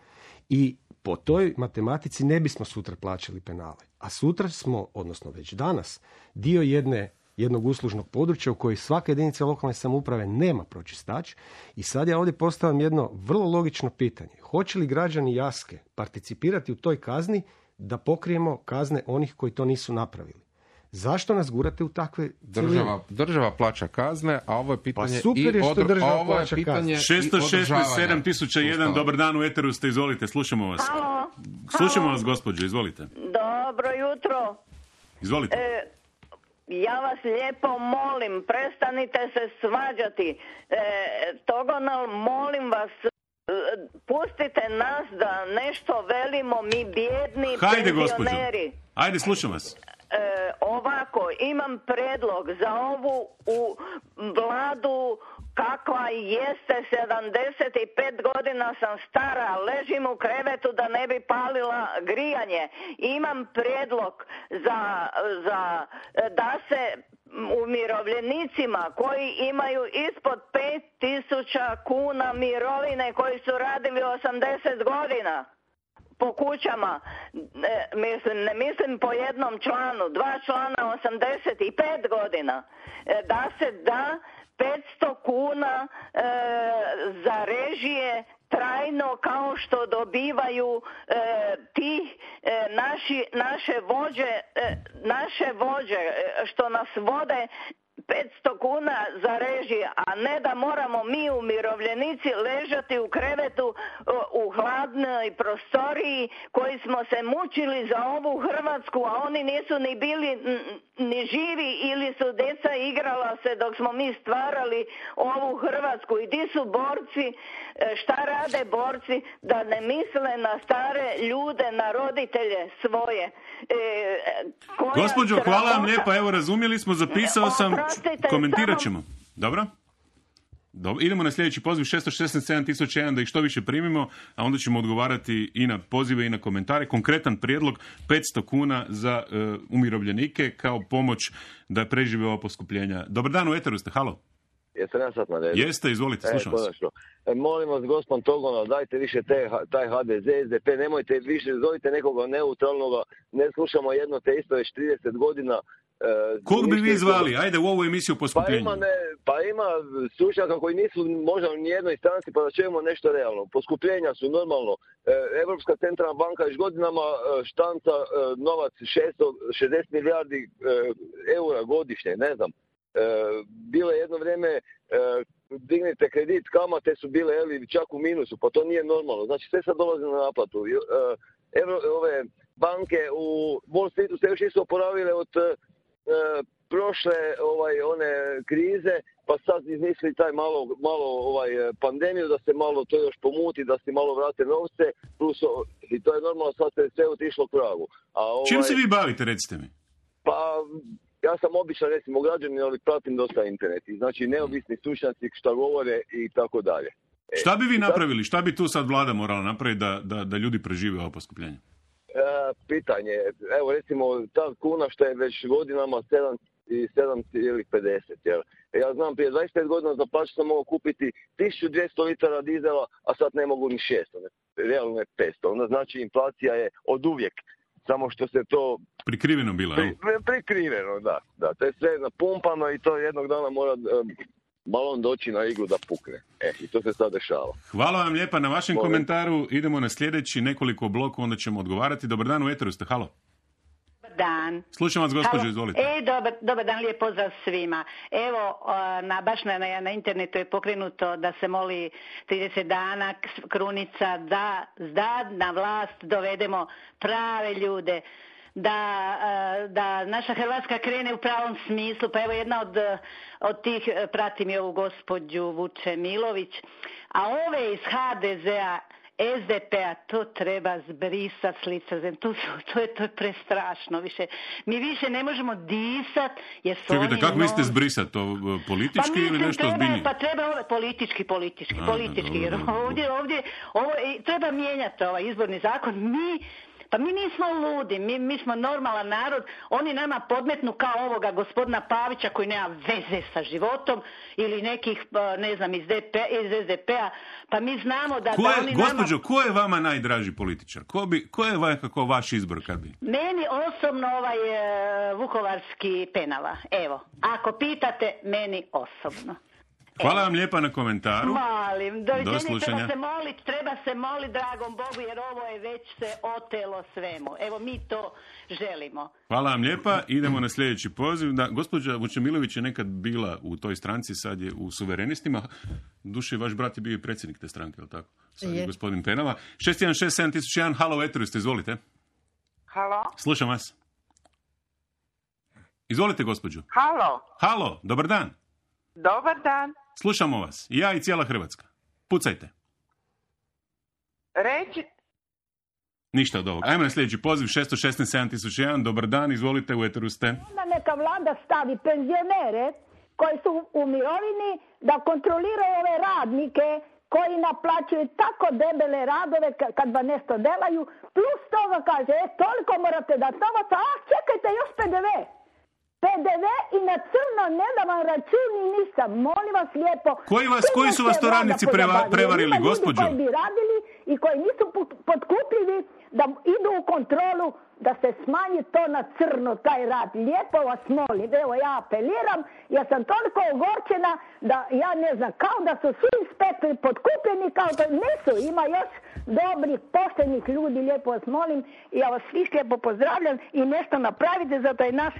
I po toj matematici ne bismo sutra plaćali penale. A sutra smo, odnosno već danas, dio jedne jednog uslužnog područja u kojoj svaka jedinica lokalne samouprave nema pročistač. I sad ja ovdje postavljam jedno vrlo logično pitanje. Hoće li građani Jaske participirati u toj kazni da pokrijemo kazne onih koji to nisu napravili? Zašto nas gurate u takve država, država plaća kazne, a ovo je pitanje pa super je što i država ovo je plaća pitanje šesto šesnaest sedam tisuća jedan, dobar dan, u eteru ste, izvolite, slušamo vas. Halo. Slušamo Halo. vas, gospođo, izvolite. Dobro jutro. Izvolite. E, ja vas lijepo molim, prestanite se svađati. E, Togonal, molim vas, pustite nas da nešto velimo, mi bijedni Hajde, penzioneri. Gospođo. Ajde, slušam vas. E, ovako, imam predlog za ovu u vladu kakva jeste, sedamdeset pet godina sam stara, ležim u krevetu da ne bi palila grijanje. Imam predlog za, za da se umirovljenicima koji imaju ispod pet tisuća kuna mirovine, koji su radili osamdeset godina po kućama, e, mislim, ne mislim po jednom članu, dva člana osamdeset pet godina, e, da se da petsto kuna e, za režije trajno kao što dobivaju e, ti e, naši, naše vođe, e, naše vođe e, što nas vode petsto kuna za režije, a ne da moramo mi umirovljenici ležati u krevetu u hladnoj prostoriji koji smo se mučili za ovu Hrvatsku, a oni nisu ni bili ni živi ili su djeca igrala se dok smo mi stvarali ovu Hrvatsku. I ti su borci, šta rade borci da ne misle na stare ljude, na roditelje svoje. E, Gospođo, hvala vam lijepa, evo razumjeli smo, zapisao sam, komentirat ćemo. Dobro? Dobro, idemo na sljedeći poziv šesto šesnaest sedam tisuća jedan da ih što više primimo, a onda ćemo odgovarati i na pozive i na komentare. Konkretan prijedlog petsto kuna za uh, umirovljenike kao pomoć da prežive ova poskupljenja. Dobar dan, u eteru ste, halo. Jesam ja sad na redu? Jeste, izvolite, slušam vas. E, molim vas, gospon Togonov, dajte više te, taj ha de ze, es de pe, nemojte više, zovite nekoga neutralnoga, ne slušamo jedno te isto već trideset godina. E, Kog bi vi zvali? Ajde u ovu emisiju poskupljenja. Pa ima, ne, pa ima stručnjaka koji nisu možda u nijednoj stranci, pa da čujemo nešto realno. Poskupljenja su normalno. E, Europska centralna banka još godinama e, štanca e, novac šesto šezdeset milijardi e, eura godišnje, ne znam. E, bilo je jedno vrijeme e, dignite kredit, kamate su bile eli, čak u minusu, pa to nije normalno. Znači sve sad dolazi na naplatu. E, Evro, ove banke u Wall Streetu se još nisu oporavile od e, prošle ovaj one krize, pa sad izmisli taj malo, malo ovaj pandemiju da se malo to još pomuti, da se malo vrate novce, plus i to je normalno, sad se sve otišlo k vragu. A ovaj, čim se vi bavite, recite mi? Pa ja sam običan, recimo, građanin, ali pratim dosta internet. I znači neovisni stručnjaci šta govore i tako dalje. E, šta bi vi napravili? Šta bi tu sad vlada morala napraviti da, da, da ljudi prežive ovo poskupljenje? E, pitanje, evo recimo ta kuna što je već godinama sedam zarez pedeset. Jel? Ja znam, prije dvadeset pet godina za plaću sam mogao kupiti tisuću dvjesto litara dizela, a sad ne mogu ni šesto, ne, realno je petsto. Onda znači inflacija je od uvijek. Samo što se to... Prikriveno bilo, pri, pri, Prikriveno, da, da. To je sve napumpano i to jednog dana mora um, balon doći na iglu da pukne. E, i to se sad dešava. Hvala vam lijepa na vašem Molim. komentaru. Idemo na sljedeći nekoliko blokova, onda ćemo odgovarati. Dobar dan, u eteru ste, halo. Dan. Slušam vas, gospođo, izvolite. E, dobar, dobar dan, lijep pozdrav svima. Evo, na, baš na, na internetu je pokrenuto da se moli trideset dana krunica da, da na vlast dovedemo prave ljude, da, da naša Hrvatska krene u pravom smislu. Pa evo jedna od, od tih, pratim i ovu gospođu Vučemilović, a ove iz ha de zea, es de pe-a, to treba zbrisati s lica zemlje. To, to, je, to je prestrašno. Više. Mi više ne možemo disat. Jer su Čekajte, oni kako no... mislite zbrisati? To politički pa ili nešto ozbiljnije? Pa treba ove, politički, politički, A, politički. Jer ovdje, ovdje ovo, treba mijenjati ovaj izborni zakon. Mi Pa mi nismo ludi, mi, mi smo normalan narod, oni nama podmetnu kao ovoga gospodina Pavića koji nema veze sa životom ili nekih, ne znam, iz, de pe, iz es de pe-a, pa mi znamo da... Ko da je, oni gospođo, nama... ko je vama najdraži političar? Ko, bi, ko je nekako vaš izbor kad bi? Meni osobno ovaj uh, vukovarski Penava, evo, ako pitate, meni osobno. Hvala vam lijepa na komentaru. Molim, doviđenje, do slušanja. Treba se moliti, treba se moliti dragom Bogu, jer ovo je već se otelo svemu. Evo, mi to želimo. Hvala vam lijepa. Idemo na sljedeći poziv. Da, gospođa Vučemilović je nekad bila u toj stranci, sad je u Suverenistima. Duše, vaš brat je bio i predsjednik te stranke, je li tako? Sad je, je gospodin Penava. šest jedan šest sedam tisuća jedan, halo, eteru ste, izvolite. Halo? Slušam vas. Izvolite, gospođo. Halo? Halo, dobar dan. Dobar dan. Slušamo vas. Ja i cijela Hrvatska. Pucajte. Reći... Ništa od ovoga. Ajmo na sljedeći poziv. šest jedan šest sedam tisuća jedan. Dobar dan, izvolite, u eteru ste. Onda neka vlada stavi penzionere koji su u mirovini da kontroliraju ove radnike koji naplaćuju tako debele radove kad vam nešto delaju. Plus toga kaže, e, toliko morate dati novaca, a čekajte još pe de ve. pe de ve i na crno ne da vam račun i ništa. Molim vas lijepo. Koji, vas, koji su vas to radnici preva, prevarili, gospođo? Koji bi radili i koji nisu potkupljivi da idu u kontrolu da se smanji to na crno, taj rad. Lijepo vas molim. Evo, ja apeliram. Ja sam toliko ogorčena da ja ne znam, kao da su svi inspektori opet potkupljeni kao to nisu. Ima još dobrih, poštenih ljudi, lijepo vas molim i ja vas svih lijepo pozdravljam i nešto napravite za taj naš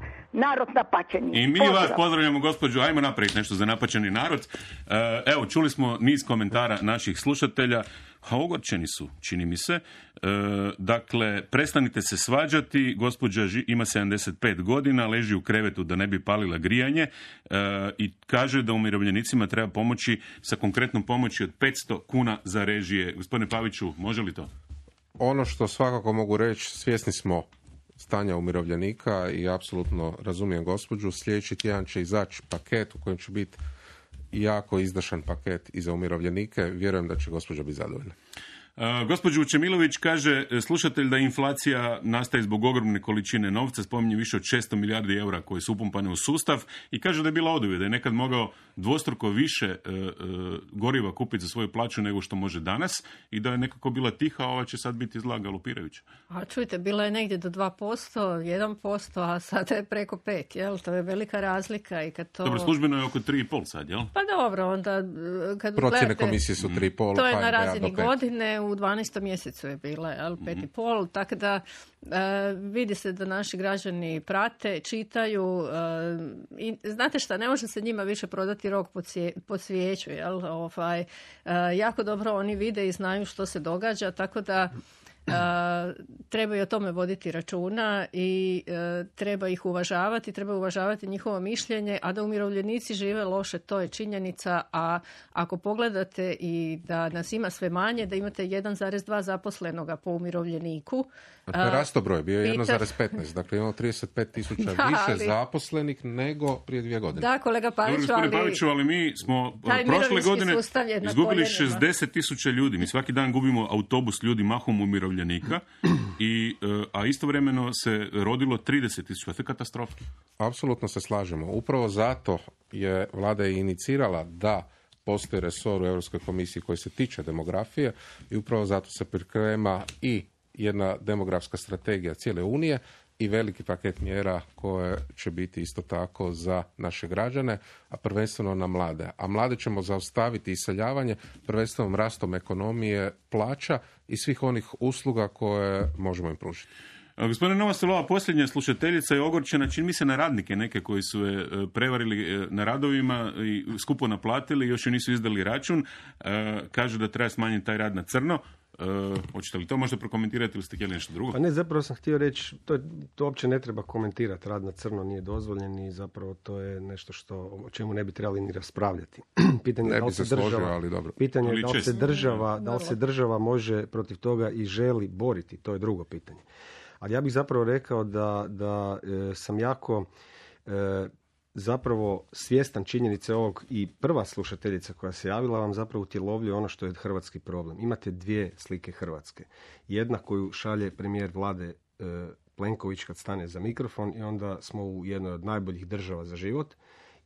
narod napačeni. I mi Pozdrav. vas pozdravljamo, gospođo, ajmo napraviti nešto za napačeni narod. Evo, čuli smo niz komentara naših slušatelja, a ogorčeni su, čini mi se. E, dakle, prestanite se svađati, gospođa ži, ima sedamdeset pet godina, leži u krevetu da ne bi palila grijanje e, i kaže da umirovljenicima treba pomoći sa konkretnom pomoći od petsto kuna za režije. Gospodine Paviću, može li to? Ono što svakako mogu reći, svjesni smo stanja umirovljenika i apsolutno razumijem gospođu. Sljedeći tjedan će izaći paket u kojem će biti jako izdašan paket i za umirovljenike. Vjerujem da će gospođa biti zadovoljna. Uh, gospođa Vučemilović kaže, slušatelj, da inflacija nastaje zbog ogromne količine novca, spominje više od šesto milijardi eura koje su upumpane u sustav i kaže da je bila oduvijek, da je nekad mogao dvostruko više uh, uh, goriva kupiti za svoju plaću nego što može danas i da je nekako bila tiha, a ova će sad biti zla galopirajuća. A čujte, bila je negdje do dva posto, jedan posto, a sada je preko pet, jel? To je velika razlika i kad to... Dobro, službeno je oko tri i pol sad, jel? Pa dobro, onda kad procjene gledate, komisije su tri i pol. to je na razini godine, u dvanaestom mjesecu je bila, jel, pet i pol, tako da uh, vidi se da naši građani prate, čitaju uh, i znate šta, ne može se njima više prodati rok pod, sje, pod svijeću, jel, ovaj, uh, jako dobro oni vide i znaju što se događa, tako da Uh, treba i o tome voditi računa i uh, treba ih uvažavati, treba uvažavati njihovo mišljenje, a da umirovljenici žive loše, to je činjenica, a ako pogledate i da nas ima sve manje, da imate jedan zarez dva zaposlenoga po umirovljeniku. A to je rasto broj, bio je Peter... jedan zarez petnaest, dakle imamo trideset pet tisuća da, više ali... zaposlenih nego prije dvije godine. Da, kolega Paviću, Dobro, ali... Paviću, ali mi smo Taj prošle godine izgubili koljenima. šezdeset tisuća ljudi. Mi svaki dan gubimo autobus ljudi mahom umirovljenika, i, a istovremeno se rodilo trideset tisuća. To je katastrofa. Apsolutno se slažemo. Upravo zato je vlada i inicirala da postoji resor u Europskoj komisiji koji se tiče demografije i upravo zato se priprema i jedna demografska strategija cijele Unije i veliki paket mjera koje će biti isto tako za naše građane, a prvenstveno na mlade. A mlade ćemo zaustaviti iseljavanje prvenstveno rastom ekonomije, plaća i svih onih usluga koje možemo im pružiti. Gospodine Novostelova, posljednja slušateljica je ogorčena, čini mi se, na radnike neke koji su je prevarili na radovima i skupo naplatili, još joj nisu izdali račun. Kaže da treba smanjiti taj rad na crno. Uh, hoćete li to možda prokomentirati ili ste htjeli nešto drugo? Pa ne, zapravo sam htio reći, to, to uopće ne treba komentirati, rad na crno nije dozvoljen i zapravo to je nešto što, o čemu ne bi trebali ni raspravljati. Pitanje ne da li se država, složio, ali dobro. Pitanje je da li se država, da li se država može protiv toga i želi boriti, to je drugo pitanje. Ali ja bih zapravo rekao da, da e, sam jako e, zapravo svjestan činjenice ovog i prva slušateljica koja se javila vam zapravo utjelovljuje ono što je hrvatski problem. Imate dvije slike Hrvatske. Jedna koju šalje premijer vlade e, Plenković kad stane za mikrofon i onda smo u jednoj od najboljih država za život,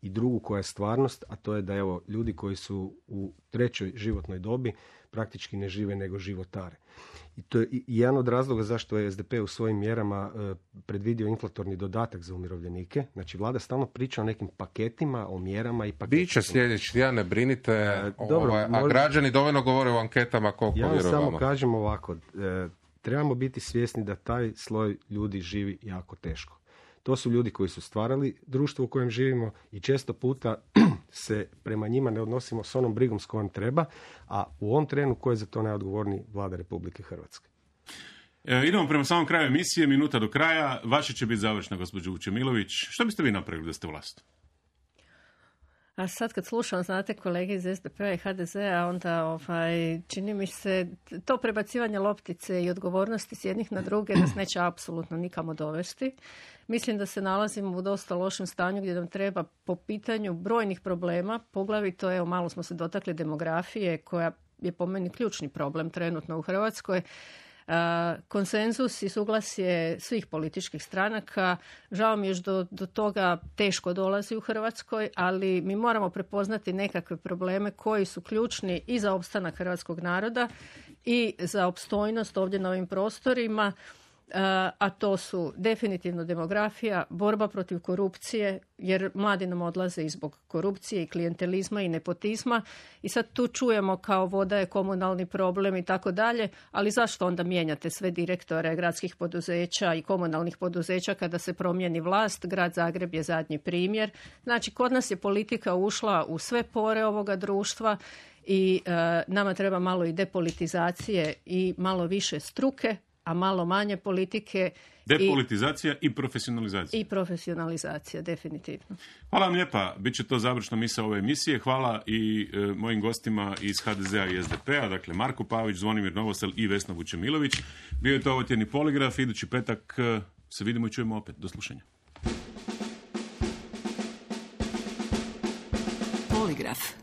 i drugu koja je stvarnost, a to je da evo ljudi koji su u trećoj životnoj dobi praktički ne žive nego životare. I to je jedan od razloga zašto je S D P u svojim mjerama e, predvidio inflatorni dodatak za umirovljenike. Znači vlada stalno priča o nekim paketima, o mjerama i paketima. Biće sljedeći, ja ne brinite, e, dobro, ovaj, a možda... građani dovoljno govore u anketama koliko ja vjeruju samo vama. kažem ovako, e, trebamo biti svjesni da taj sloj ljudi živi jako teško. To su ljudi koji su stvarali društvo u kojem živimo i često puta se prema njima ne odnosimo s onom brigom s kojom treba, a u ovom trenu ko je za to najodgovorniji? Vlada Republike Hrvatske. E, idemo prema samom kraju emisije, minuta do kraja. Vaša će biti završna, gospođo Vučemilović. Što biste vi napravili da ste vlast? A sad kad slušam, znate, kolege iz S D P-a i H D Z-a, onda ovaj, čini mi se to prebacivanje loptice i odgovornosti s jednih na druge nas neće apsolutno nikamo dovesti. Mislim da se nalazimo u dosta lošem stanju gdje nam treba po pitanju brojnih problema, poglavito, evo, malo smo se dotakli demografije koja je po meni ključni problem trenutno u Hrvatskoj. Uh, konsenzus i suglasje svih političkih stranaka. Žao mi je do, do toga teško dolazi u Hrvatskoj, ali mi moramo prepoznati nekakve probleme koji su ključni i za opstanak hrvatskog naroda i za opstojnost ovdje na ovim prostorima. a to su definitivno demografija, borba protiv korupcije, jer mladi nam odlaze i zbog korupcije i klijentelizma i nepotizma i sad tu čujemo kao voda je komunalni problem i tako dalje, ali zašto onda mijenjate sve direktore gradskih poduzeća i komunalnih poduzeća kada se promijeni vlast? Grad Zagreb je zadnji primjer. Znači, kod nas je politika ušla u sve pore ovoga društva i e, nama treba malo i depolitizacije i malo više struke, a malo manje politike. Depolitizacija i, i profesionalizacija. I profesionalizacija, definitivno. Hvala vam lijepa. Biće to završna misao ove emisije. Hvala i e, mojim gostima iz ha de zea i es de pe a, dakle Marko Pavić, Zvonimir Novosel i Vesna Vučemilović. Bio je to ovotjedni poligraf. Idući petak e, se vidimo i čujemo opet. Do slušanja. Poligraf.